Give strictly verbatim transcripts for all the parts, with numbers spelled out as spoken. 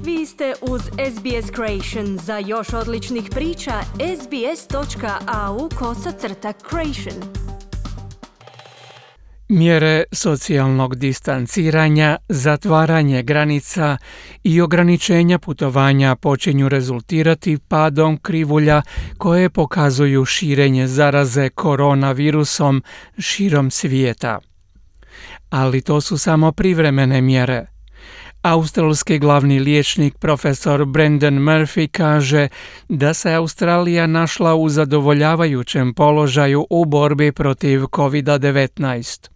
Vi ste uz S B S Creation. Za još odličnih priča, sbs.au kosacrta creation. Mjere socijalnog distanciranja, zatvaranje granica i ograničenja putovanja počinju rezultirati padom krivulja koje pokazuju širenje zaraze koronavirusom širom svijeta. Ali to su samo privremene mjere. Australski glavni liječnik profesor Brendan Murphy kaže da se Australija našla u zadovoljavajućem položaju u borbi protiv kovid devetnaest.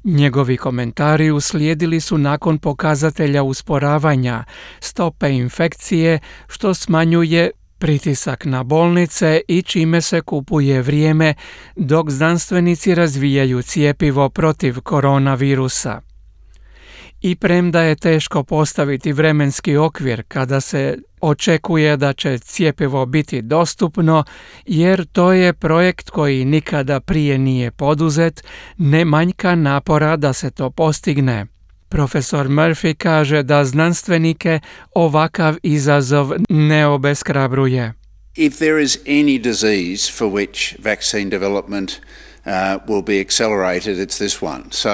Njegovi komentari uslijedili su nakon pokazatelja usporavanja stope infekcije, što smanjuje pritisak na bolnice i čime se kupuje vrijeme dok znanstvenici razvijaju cjepivo protiv koronavirusa. I premda je teško postaviti vremenski okvir kada se očekuje da će cjepivo biti dostupno, jer to je projekt koji nikada prije nije poduzet, ne manjka napora da se to postigne. Profesor Murphy kaže da znanstvenike ovakav izazov ne obeshrabruje. If there is any disease for which vaccine development uh, will be accelerated, it's this one. So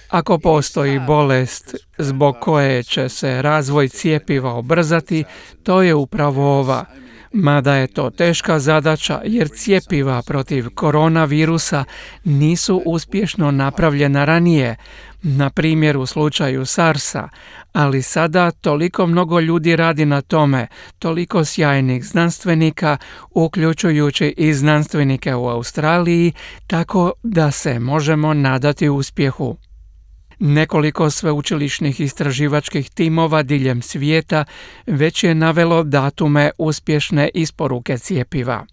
Ako postoji bolest zbog koje će se razvoj cjepiva ubrzati, to je upravo ova. Mada je to teška zadaća jer cjepiva protiv koronavirusa nisu uspješno napravljena ranije, na primjer u slučaju SARS-a, ali sada toliko mnogo ljudi radi na tome, toliko sjajnih znanstvenika, uključujući i znanstvenike u Australiji, tako da se možemo nadati uspjehu. Nekoliko sveučilišnih istraživačkih timova diljem svijeta već je navelo datume uspješne isporuke cjepiva.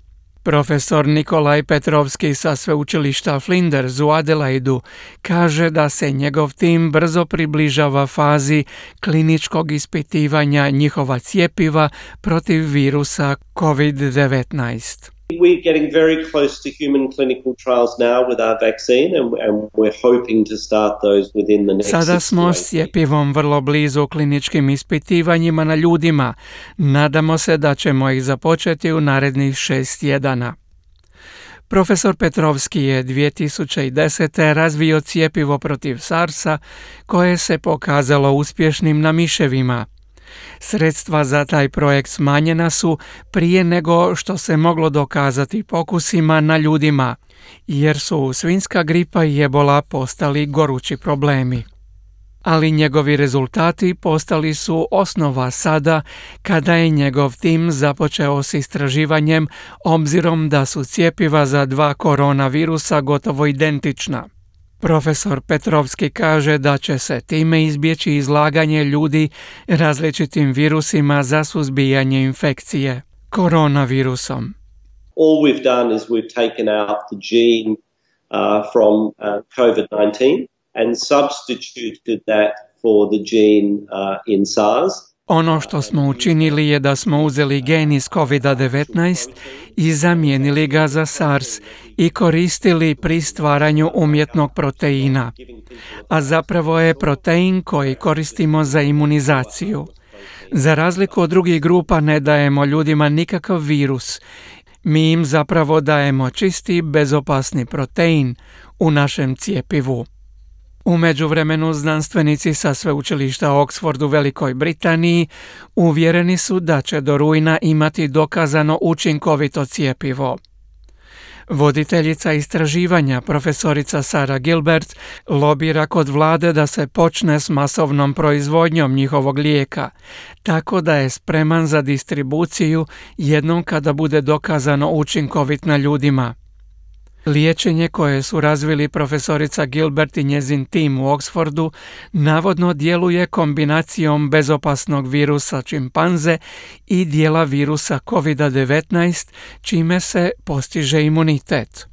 Profesor Nikolaj Petrovski sa sveučilišta Flinders u Adelaidu kaže da se njegov tim brzo približava fazi kliničkog ispitivanja njihova cjepiva protiv virusa kovid devetnaest. We're getting very close to human clinical trials now with our vaccine and, and we're hoping to start those within the next Sada smo s cjepivom vrlo blizu kliničkim ispitivanjima na ljudima. Nadamo se da ćemo ih započeti u narednih šest tjedana. Profesor Petrovski je dvije tisuće desete. razvio cjepivo protiv SARS-a koje se pokazalo uspješnim na miševima. Sredstva za taj projekt smanjena su prije nego što se moglo dokazati pokusima na ljudima, jer su svinjska gripa i ebola postali gorući problemi. Ali njegovi rezultati postali su osnova sada kada je njegov tim započeo s istraživanjem, obzirom da su cjepiva za dva koronavirusa gotovo identična. Profesor Petrovski kaže da će se time izbjeći izlaganje ljudi različitim virusima za suzbijanje infekcije koronavirusom. All we've done is we've taken out the gene uh, from uh, covid nineteen and substituted that for the gene uh, in SARS. Ono što smo učinili je da smo uzeli gen iz kovid devetnaest i zamijenili ga za SARS i koristili pri stvaranju umjetnog proteina. A zapravo je protein koji koristimo za imunizaciju. Za razliku od drugih grupa ne dajemo ljudima nikakav virus. Mi im zapravo dajemo čisti, bezopasni protein u našem cjepivu. U međuvremenu znanstvenici sa sveučilišta Oxford u Velikoj Britaniji uvjereni su da će do rujna imati dokazano učinkovito cjepivo. Voditeljica istraživanja, profesorica Sarah Gilbert, lobira kod vlade da se počne s masovnom proizvodnjom njihovog lijeka, tako da je spreman za distribuciju jednom kada bude dokazano učinkovit na ljudima. Liječenje koje su razvili profesorica Gilbert i njezin tim u Oxfordu navodno djeluje kombinacijom bezopasnog virusa čimpanze i dijela virusa kovid devetnaest, čime se postiže imunitet.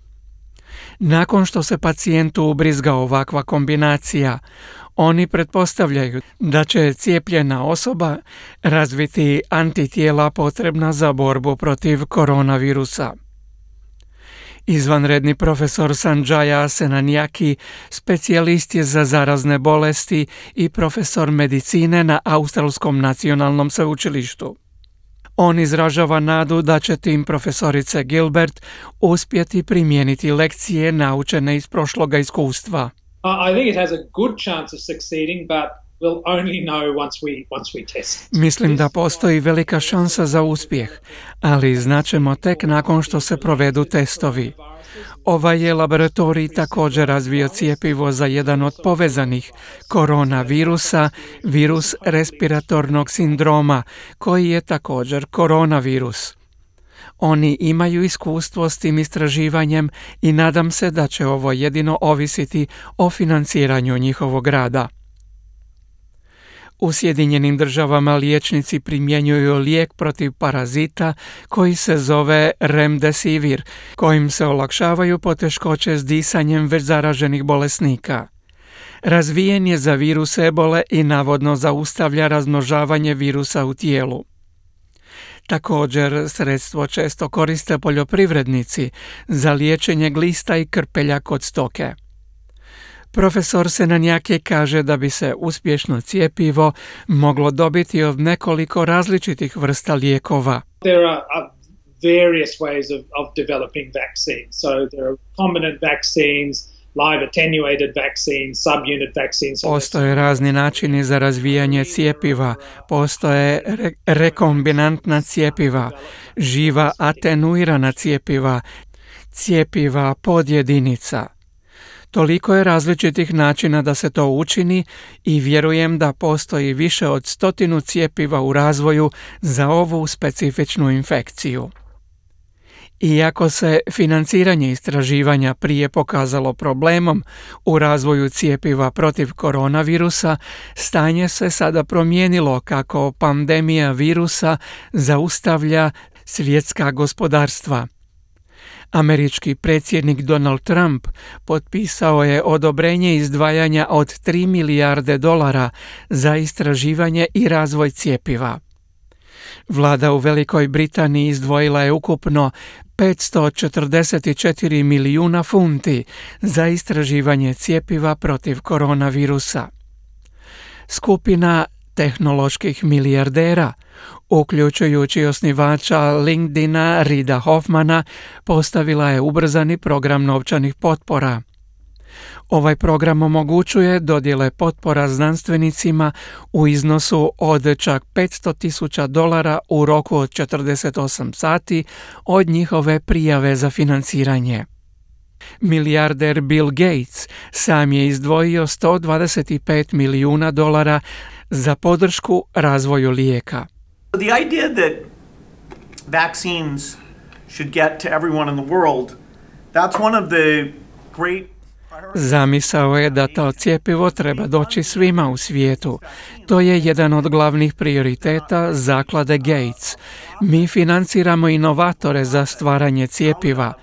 Nakon što se pacijentu ubrizga ovakva kombinacija, oni pretpostavljaju da će cijepljena osoba razviti antitijela potrebna za borbu protiv koronavirusa. Izvanredni profesor Sanjaya Senanjaki specijalist je za zarazne bolesti i profesor medicine na Australskom nacionalnom sveučilištu. On izražava nadu da će tim profesorice Gilbert uspjeti primijeniti lekcije naučene iz prošloga iskustva. I think it has a good chance of succeeding, but we'll only know once we once we test. Mislim da postoji velika šansa za uspjeh, ali znaćemo tek nakon što se provedu testovi. Ovaj je laboratorij također razvio cjepivo za jedan od povezanih koronavirusa, virus respiratornog sindroma, koji je također koronavirus. Oni imaju iskustvo s tim istraživanjem i nadam se da će ovo jedino ovisiti o financiranju njihovog rada. U Sjedinjenim državama liječnici primjenjuju lijek protiv parazita koji se zove Remdesivir, kojim se olakšavaju poteškoće s disanjem već zaraženih bolesnika. Razvijen je za virus ebole i navodno zaustavlja razmnožavanje virusa u tijelu. Također, sredstvo često koriste poljoprivrednici za liječenje glista i krpelja kod stoke. Profesor Senanjaki kaže da bi se uspješno cjepivo moglo dobiti od nekoliko različitih vrsta lijekova. There are various ways of, of developing vaccines. So there are recombinant vaccines, live attenuated vaccines, subunit vaccines. Postoje razni načini za razvijanje cjepiva, postoje re- rekombinantna cjepiva, živa atenuirana cjepiva, cjepiva podjedinica. Toliko je različitih načina da se to učini i vjerujem da postoji više od stotinu cjepiva u razvoju za ovu specifičnu infekciju. Iako se financiranje istraživanja prije pokazalo problemom u razvoju cjepiva protiv koronavirusa, stanje se sada promijenilo kako pandemija virusa zaustavlja svjetska gospodarstva. Američki predsjednik Donald Trump potpisao je odobrenje izdvajanja od tri milijarde dolara za istraživanje i razvoj cjepiva. Vlada u Velikoj Britaniji izdvojila je ukupno petsto četrdeset četiri milijuna funti za istraživanje cjepiva protiv koronavirusa. Skupina tehnoloških milijardera, uključujući osnivača LinkedIna Rida Hoffmana, postavila je ubrzani program novčanih potpora. Ovaj program omogućuje dodjele potpora znanstvenicima u iznosu od čak petsto tisuća dolara u roku od četrdeset osam sati od njihove prijave za financiranje. Milijarder Bill Gates sam je izdvojio sto dvadeset pet milijuna dolara za podršku razvoju lijeka. The idea that vaccines should get to everyone in the world, that's one of the great Zamisao je da to cjepivo treba doći svima u svijetu. To je jedan od glavnih prioriteta zaklade Gates. Mi financiramo inovatore za stvaranje cjepiva.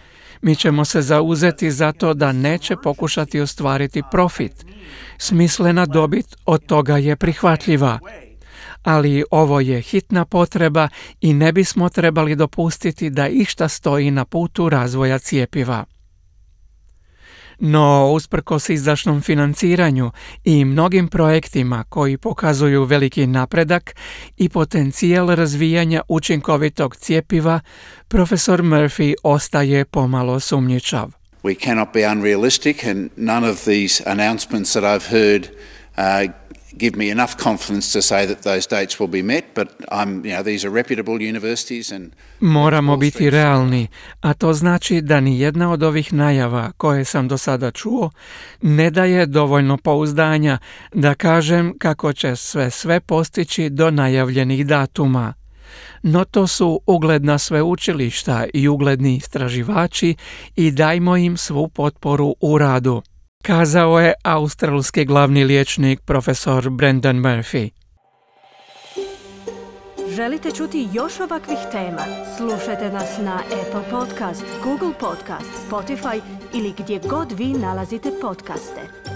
Mi ćemo se zauzeti za to da neće pokušati ostvariti profit. Smislena dobit od toga je prihvatljiva. Ali ovo je hitna potreba i ne bismo trebali dopustiti da išta stoji na putu razvoja cjepiva. No, usprkos izdašnom financiranju i mnogim projektima koji pokazuju veliki napredak i potencijal razvijanja učinkovitog cjepiva, profesor Murphy ostaje pomalo sumnjičav. We cannot be unrealistic, and none of these announcements that I've heard uh, give me enough confidence to say that those dates will be met, but I'm, you know, these are reputable universities and Moramo biti realni, a to znači da ni jedna od ovih najava koje sam do sada čuo ne daje dovoljno pouzdanja da kažem kako će sve sve postići do najavljenih datuma. No to su ugledna sveučilišta i ugledni istraživači i dajmo im svu potporu u radu, kazao je australski glavni liječnik profesor Brendan Murphy. Želite čuti još ovakvih tema? Slušajte nas na Apple Podcast, Google Podcast, Spotify ili gdje god vi nalazite podcaste.